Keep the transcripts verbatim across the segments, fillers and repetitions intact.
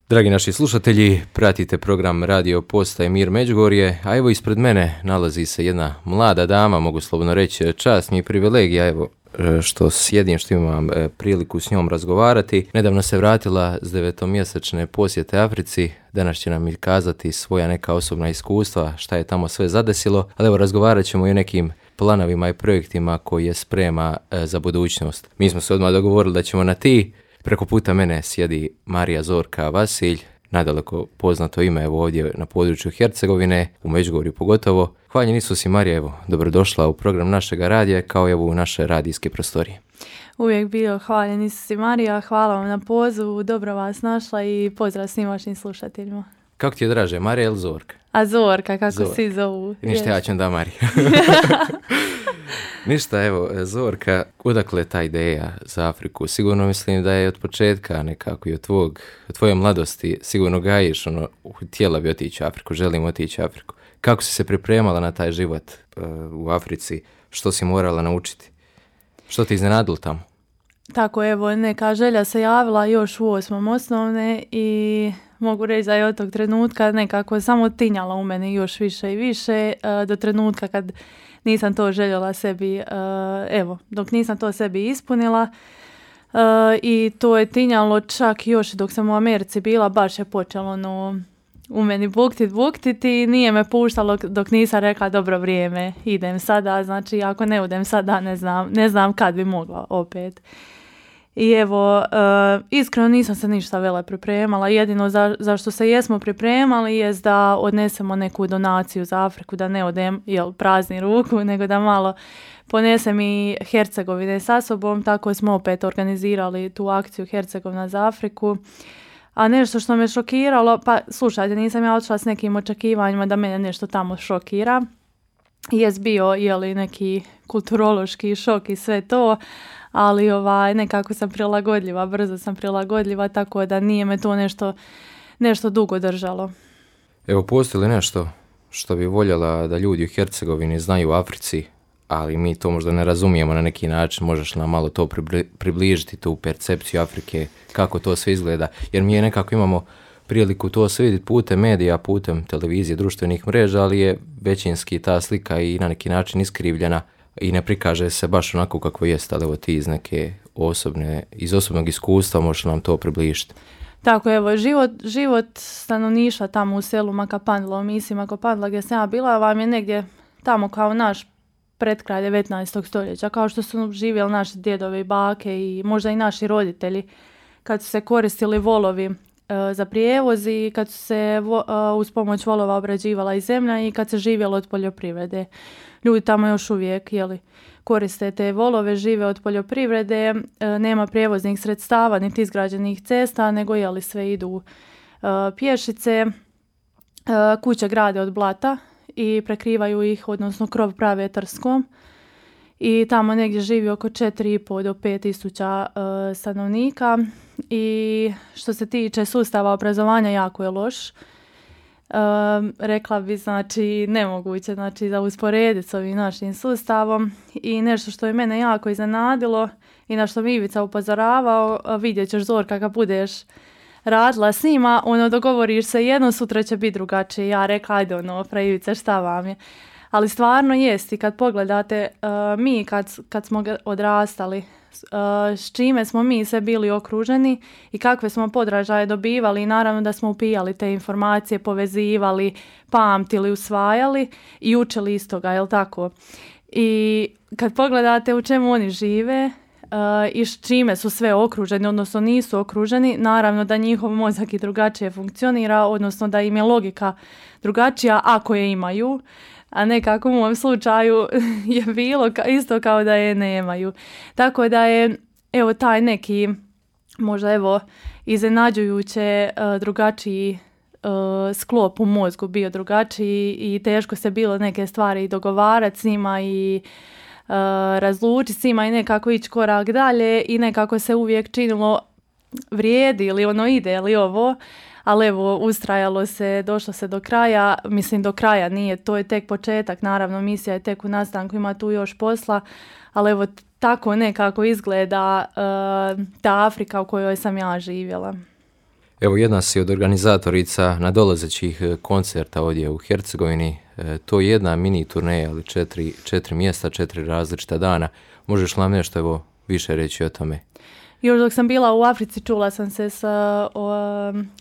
Dragi naši slušatelji, pratite program Radio Postaje Mir Međugorje, a evo ispred mene nalazi se jedna mlada dama, mogu slobodno reći, čast mi je privilegija, evo što sjedim, što imam priliku s njom razgovarati. Nedavno se vratila s devetomjesečne posjete Africi, danas će nam i kazati svoja neka osobna iskustva, šta je tamo sve zadesilo, ali evo razgovarat ćemo i o nekim planovima i projektima koji je sprema za budućnost. Mi smo se odmah dogovorili da ćemo na ti. Preko puta mene sjedi Marija Zorka Vasilj, nadaleko poznato ime evo ovdje na području Hercegovine, u Međugorju pogotovo. Hvaljen Isus i Marija, evo, dobrodošla u program našega radija, kao evo u naše radijske prostorije. Uvijek bio hvaljen Isus i Marija, hvala vam na pozivu, dobro vas našla i pozdrav svim vašim slušateljima. Kako ti je draže, Marija ili Zorka? A Zorka, kako Zorka. svi zovu. Ništa, ja ću da Marija. Ništa, evo, Zorka, odakle ta ideja za Afriku? Sigurno mislim da je od početka nekako i od, tvog, od tvoje mladosti, sigurno gajiš, ono, htjela bi otići u Afriku, želim otići u Afriku. Kako si se pripremala na taj život uh, u Africi? Što si morala naučiti? Što ti iznenadilo tamo? Tako, evo, neka želja se javila još u osmom osnovne i mogu reći da je od tog trenutka nekako samo tinjala u mene još više i više uh, do trenutka kad nisam to željela sebi, uh, evo, dok nisam to sebi ispunila uh, i to je tinjalo čak još dok sam u Americi bila, baš je počelo no, u meni buktit, buktit i nije me puštalo dok nisam rekla dobro vrijeme, idem sada, znači ako ne idem sada ne znam, ne znam kad bi mogla opet. I evo, uh, iskreno nisam se ništa vele pripremala, jedino za, za što se jesmo pripremali je da odnesemo neku donaciju za Afriku, da ne odem jel, prazni ruku, nego da malo ponesem i Hercegovine sa sobom, tako smo opet organizirali tu akciju Hercegovina za Afriku. A nešto što me šokiralo, pa slušajte, nisam ja otišla s nekim očekivanjima da mene nešto tamo šokira, jest bio jeli, neki kulturološki šok i sve to, ali ovaj, nekako sam prilagodljiva, brzo sam prilagodljiva, tako da nije me to nešto, nešto dugo držalo. Evo, postoji li nešto što bi voljela da ljudi u Hercegovini znaju u Africi, ali mi to možda ne razumijemo na neki način, možeš nam malo to približiti, tu percepciju Afrike, kako to sve izgleda, jer mi je nekako imamo priliku to sve vidjeti putem medija, putem televizije, društvenih mreža, ali je većinski ta slika i na neki način iskrivljena i ne prikaže se baš onako kako jest, ali evo ti iz neke osobne, iz osobnog iskustva možeš nam to približiti. Tako, evo, život, život stanovništva tamo u selu Makapandla, u misiji Makapandla gdje sam ja bila, vam je negdje tamo kao naš pred kraj devetnaestog stoljeća, kao što su živjeli naši djedovi i bake i možda i naši roditelji, kad su se koristili volovi e, za prijevoz i kad su se vo, e, uz pomoć volova obrađivala i zemlja i kad se živjelo od poljoprivrede. Ljudi tamo još uvijek jeli, koriste te volove, žive od poljoprivrede, e, nema prijevoznih sredstava niti izgrađenih cesta, nego jeli, sve idu e, pješice, e, kuće grade od blata i prekrivaju ih, odnosno krov prave trskom. I tamo negdje živi oko četiri i pol do pet tisuća e, stanovnika i što se tiče sustava obrazovanja jako je loš. Um, rekla bi znači nemoguće znači za usporediti s ovim našim sustavom i nešto što je mene jako iznenadilo i na što mi Ivica upozoravao, vidjet ćeš Zorka kad budeš radila s njima, ono dogovoriš se jedno, sutra će biti drugačije. Ja rekla ajde ono, pra Ivice šta vam je, ali stvarno jest i kad pogledate uh, mi kad, kad smo odrastali, Uh, s čime smo mi sve bili okruženi i kakve smo podražaje dobivali i naravno da smo upijali te informacije, povezivali, pamtili, usvajali i učili iz toga, jel tako? I kad pogledate u čemu oni žive uh, i s čime su sve okruženi, odnosno nisu okruženi, naravno da njihov mozak i drugačije funkcionira, odnosno da im je logika drugačija ako je imaju, a ne kako u mom slučaju je bilo isto kao da je nemaju. Tako da je evo taj neki možda evo iznenađujuće uh, drugačiji uh, sklop u mozgu bio drugačiji i teško se bilo neke stvari dogovarati s njima i uh, razlučiti s njima i nekako ići korak dalje i nekako se uvijek činilo vrijedi ili ono ide ili ovo. Ali evo, ustrajalo se, došlo se do kraja, mislim do kraja nije, to je tek početak, naravno misija je tek u nastanku, ima tu još posla, ali evo tako nekako izgleda uh, ta Afrika u kojoj sam ja živjela. Evo, jedna si od organizatorica nadolazećih koncerta ovdje u Hercegovini. E, to je jedna mini turneja, ali četiri, četiri mjesta, četiri različita dana. Možeš li nam nešto evo, više reći o tome? Još dok sam bila u Africi čula sam se sa o,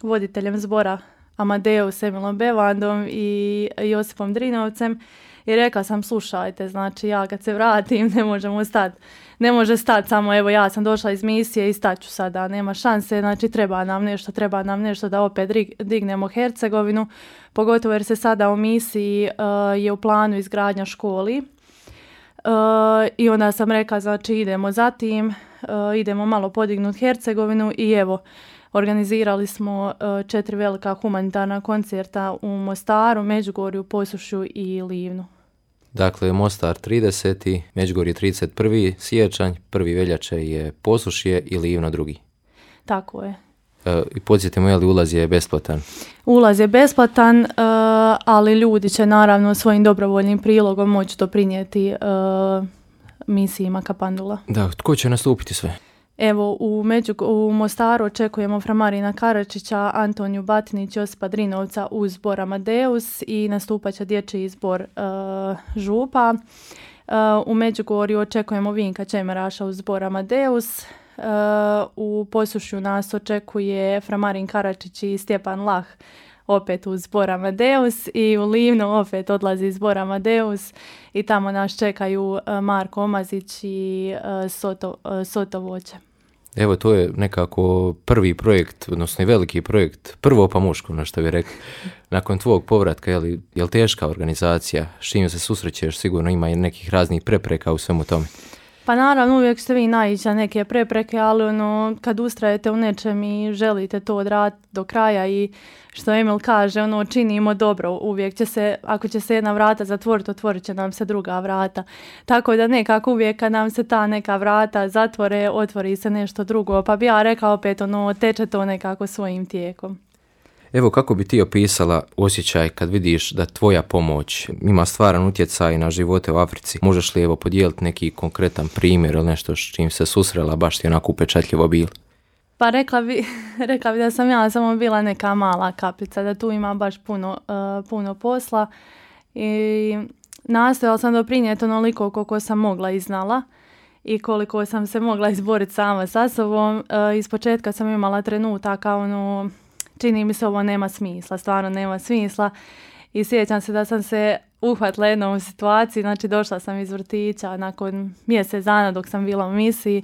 voditeljem zbora Amadeus Emilom Bevandom i Josipom Drinovcem i rekla sam slušajte, znači ja kad se vratim ne možemo stati. Ne može stati samo evo ja sam došla iz misije i staću sada, nema šanse, znači treba nam nešto, treba nam nešto da opet dignemo Hercegovinu, pogotovo jer se sada u misiji uh, je u planu izgradnja školi. Uh, I onda sam rekla, znači idemo za tim, uh, idemo malo podignuti Hercegovinu i evo, organizirali smo uh, četiri velika humanitarna koncerta u Mostaru, Međugorju, Posušju i Livnu. Dakle, Mostar trideseti, Međugorje trideset prvi siječanj, prvi veljače je Posušje i Livno drugi. Tako je. E, I podsjetimo, je li ulaz je besplatan? Ulaz je besplatan, uh, ali ljudi će naravno svojim dobrovoljnim prilogom moći doprinijeti uh, misiji Makapandula. Da, tko će nastupiti sve? Evo, u, Među, u Mostaru očekujemo fra Marina Karačića, Antoniju Batinić, Josipa Drinovca uz zbor Amadeus i nastupat će dječji izbor uh, Župa. Uh, u Međugorju očekujemo Vinka Čemeraša uz zbor Amadeus. Uh, u Posušju nas očekuje fra Marin Karačić i Stjepan Lah opet uz zbor Amadeus i u Livnu opet odlazi zbor Amadeus i tamo nas čekaju uh, Marko Omazić i uh, Soto, uh, Soto Voće. Evo, to je nekako prvi projekt, odnosno i veliki projekt, prvo pa muško, na što bi rekao. Nakon tvog povratka, je li, je li teška organizacija? S čim se susrećeš? Sigurno ima i nekih raznih prepreka u svemu tome. Pa naravno, uvijek ste vi naići na neke prepreke, ali ono, kad ustrajete u nečem i želite to odraditi do kraja i što Emil kaže, ono, činimo dobro, uvijek će se, ako će se jedna vrata zatvoriti, otvorit će nam se druga vrata. Tako da nekako uvijek kad nam se ta neka vrata zatvore, otvori se nešto drugo, pa bi ja rekao opet, ono, teče to nekako svojim tijekom. Evo, kako bi ti opisala osjećaj kad vidiš da tvoja pomoć ima stvaran utjecaj na živote u Africi? Možeš li evo podijeliti neki konkretan primjer ili nešto s čim se susrela baš ti onako upečatljivo bilo? Pa rekla bi, rekla bi da sam ja samo bila neka mala kapica, da tu ima baš puno, uh, puno posla i nastojala sam doprinijeti onoliko koliko sam mogla i znala i koliko sam se mogla izboriti sama sa sobom. Uh, iz početka sam imala trenutaka ono, čini mi se ovo nema smisla, stvarno nema smisla i sjećam se da sam se uhvatila jednom u situaciji, znači došla sam iz vrtića nakon mjesec dana dok sam bila u misiji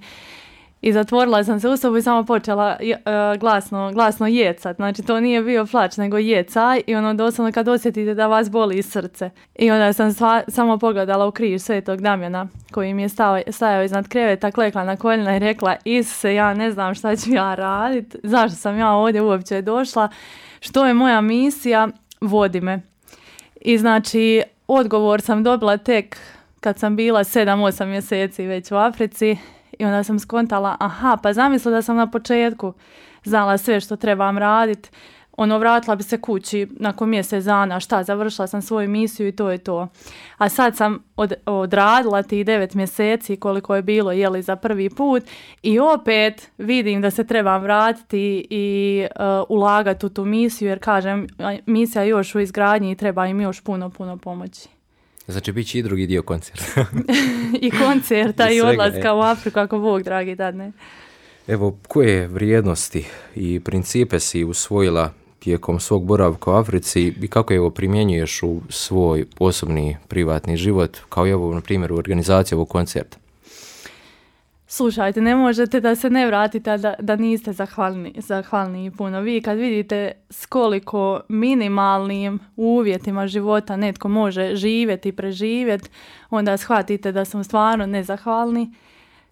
i zatvorila sam se u sobu i samo počela uh, glasno, glasno jecat, znači to nije bio plač nego jecaj i ono doslovno kad osjetite da vas boli srce i onda sam sva, samo pogledala u križ Svetog Damjana koji mi je stao, stajao iznad kreveta, klekla na koljena i rekla Isuse, ja ne znam šta ću ja raditi, zašto sam ja ovdje uopće došla, što je moja misija, vodi me. I znači odgovor sam dobila tek kad sam bila sedam osam mjeseci već u Africi. I onda sam skontala, aha, pa zamislila da sam na početku znala sve što trebam raditi. Ono, vratila bi se kući nakon mjesec dana, šta, završila sam svoju misiju i to je to. A sad sam od, odradila tih devet mjeseci koliko je bilo, jeli, za prvi put i opet vidim da se trebam vratiti i uh, ulagati u tu misiju, jer kažem, misija je još u izgradnji i treba im još puno, puno pomoći. Znači, bit će i drugi dio koncerta. I koncerta i, i odlaska je. U Afriku, ako Bog dragi dadne. Evo, koje vrijednosti i principe si usvojila tijekom svog boravka u Africi i kako je ovo primjenjuješ u svoj osobni privatni život, kao i ovo, na primjer, u organizaciji ovog koncerta? Slušajte, ne možete da se ne vratite da, da niste zahvalni, zahvalni puno. Vi kad vidite s koliko minimalnim uvjetima života netko može živjeti i preživjeti, onda shvatite da smo stvarno nezahvalni,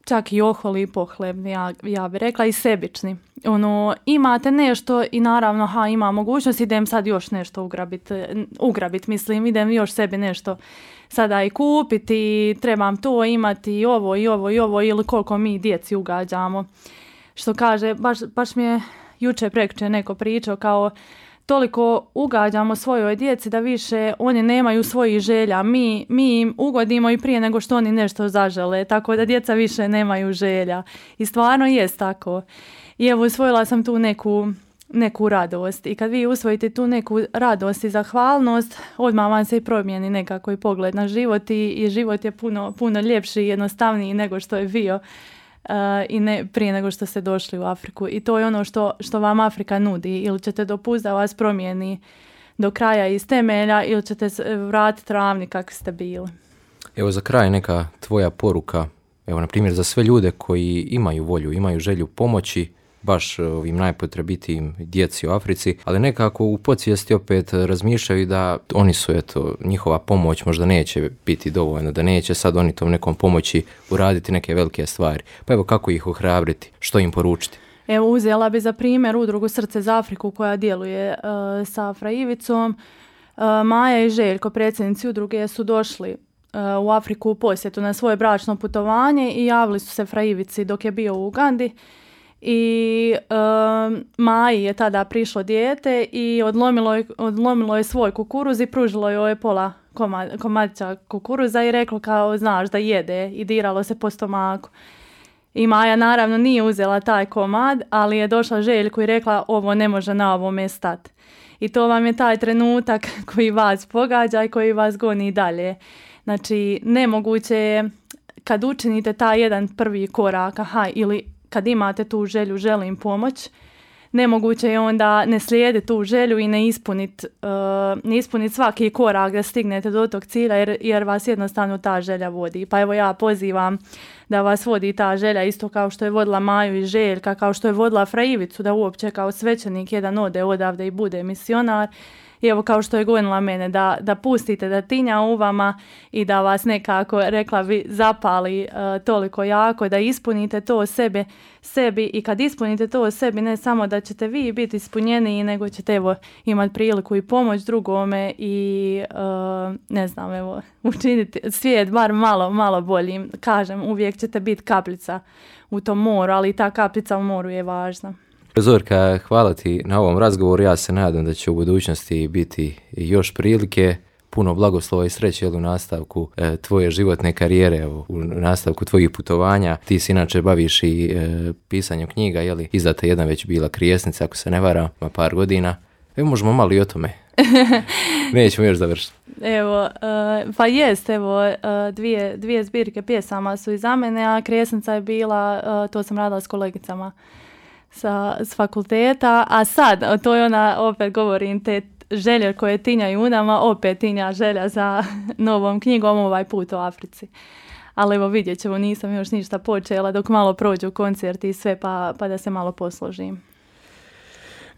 čak i oholi i pohlebni, ja, ja bih rekla, i sebični. Ono, imate nešto i naravno, ha, ima mogućnost, idem sad još nešto ugrabit, ugrabit, mislim, idem još sebi nešto sada i kupiti, trebam to imati i ovo i ovo i ovo ili koliko mi djeci ugađamo. Što kaže, baš, baš mi je jučer prekjučer neko pričao kao toliko ugađamo svojoj djeci da više oni nemaju svojih želja. Mi, mi im ugodimo i prije nego što oni nešto zažele, tako da djeca više nemaju želja. I stvarno jest tako. I evo, usvojila sam tu neku, neku radost. I kad vi usvojite tu neku radost i zahvalnost, odmah vam se i promijeni nekako i pogled na život i, i život je puno, puno ljepši i jednostavniji nego što je bio uh, i ne, prije nego što ste došli u Afriku. I to je ono što, što vam Afrika nudi. Ili ćete dopustiti da vas promijeni do kraja iz temelja ili ćete vratiti ravni kakvi ste bili. Evo za kraj neka tvoja poruka, evo na primjer za sve ljude koji imaju volju, imaju želju pomoći baš ovim najpotrebitijim djeci u Africi, ali nekako u podsvijesti opet razmišljaju da oni su, eto, njihova pomoć možda neće biti dovoljna, da neće sad oni tom nekom pomoći uraditi neke velike stvari. Pa evo kako ih ohrabriti, što im poručiti? Evo uzela bi za primjer udrugu Srce za Afriku koja djeluje uh, sa Fra Ivicom. Uh, Maja i Željko, predsjednici udruge, su došli uh, u Afriku u posjetu na svoje bračno putovanje i javili su se Fra Ivici dok je bio u Ugandi. I uh, Maji je tada prišlo dijete i odlomilo je, odlomilo je svoj kukuruz i pružilo joj pola komad, komadića kukuruza i reklo kao znaš da jede i diralo se po stomaku. I Maja naravno nije uzela taj komad, ali je došla Željku i rekla ovo ne može na ovome stati. I to vam je taj trenutak koji vas pogađa i koji vas goni dalje. Znači nemoguće je kad učinite taj jedan prvi korak, aha, ili kad imate tu želju, želim pomoć, nemoguće je onda ne slijediti tu želju i ne ispuniti uh, ne ispunit svaki korak da stignete do tog cilja jer, jer vas jednostavno ta želja vodi. Pa evo ja pozivam da vas vodi ta želja isto kao što je vodila Maju i Željka, kao što je vodila Fra Ivicu da uopće kao svećenik jedan ode odavde i bude misionar. I evo kao što je gonila mene, da, da pustite da tinja u vama i da vas nekako, rekla bi, zapali uh, toliko jako, da ispunite to sebe, sebi i kad ispunite to sebi, ne samo da ćete vi biti ispunjeni, nego ćete evo imati priliku i pomoć drugome i uh, ne znam, evo, učiniti svijet bar malo, malo boljim. Kažem, uvijek ćete biti kapljica u tom moru, ali ta kapljica u moru je važna. Zorka, hvala ti na ovom razgovoru. Ja se nadam da će u budućnosti biti još prilike. Puno blagoslova i sreće u nastavku e, tvoje životne karijere, evo, u nastavku tvojih putovanja. Ti se inače baviš i e, pisanjem knjiga, jeli? Izdata jedna već bila Krijesnica, ako se ne varam, ima par godina. Evo, možemo malo i o tome. Nećemo još završiti. Evo, uh, pa jest, evo, uh, dvije, dvije zbirke pjesama su iza mene, a Krijesnica je bila, uh, to sam radila s kolegicama sa s fakulteta, a sad, to je ona, opet govorim, te želje koje tinjaju u nama, opet tinja želja za novom knjigom, ovaj put u Africi. Ali evo vidjet ćemo, nisam još ništa počela dok malo prođu koncerti i sve, pa, pa da se malo posložim.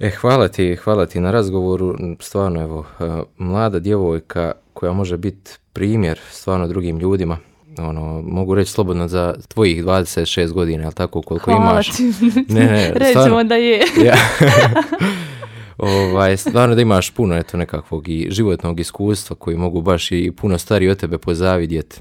E, hvala ti, hvala ti na razgovoru, stvarno evo, mlada djevojka koja može biti primjer stvarno drugim ljudima. Ono, mogu reći slobodno za tvojih dvadeset šest godina, ali tako koliko hvala imaš. Ti. Ne, ne, rećemo da je. Ja. ovaj, stvarno da imaš puno eto, nekakvog i životnog iskustva koji mogu baš i puno stariji od tebe pozavidjeti.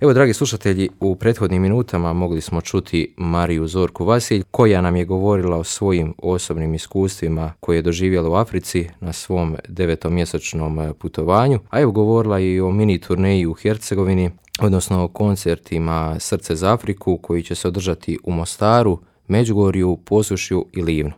Evo, dragi slušatelji, u prethodnim minutama mogli smo čuti Mariju Zorku Vasilj, koja nam je govorila o svojim osobnim iskustvima koje je doživjela u Africi na svom devetomjesečnom putovanju, a evo govorila i o mini turneji u Hercegovini, odnosno o koncertima Srce za Afriku koji će se održati u Mostaru, Međugorju, Posušju i Livnu.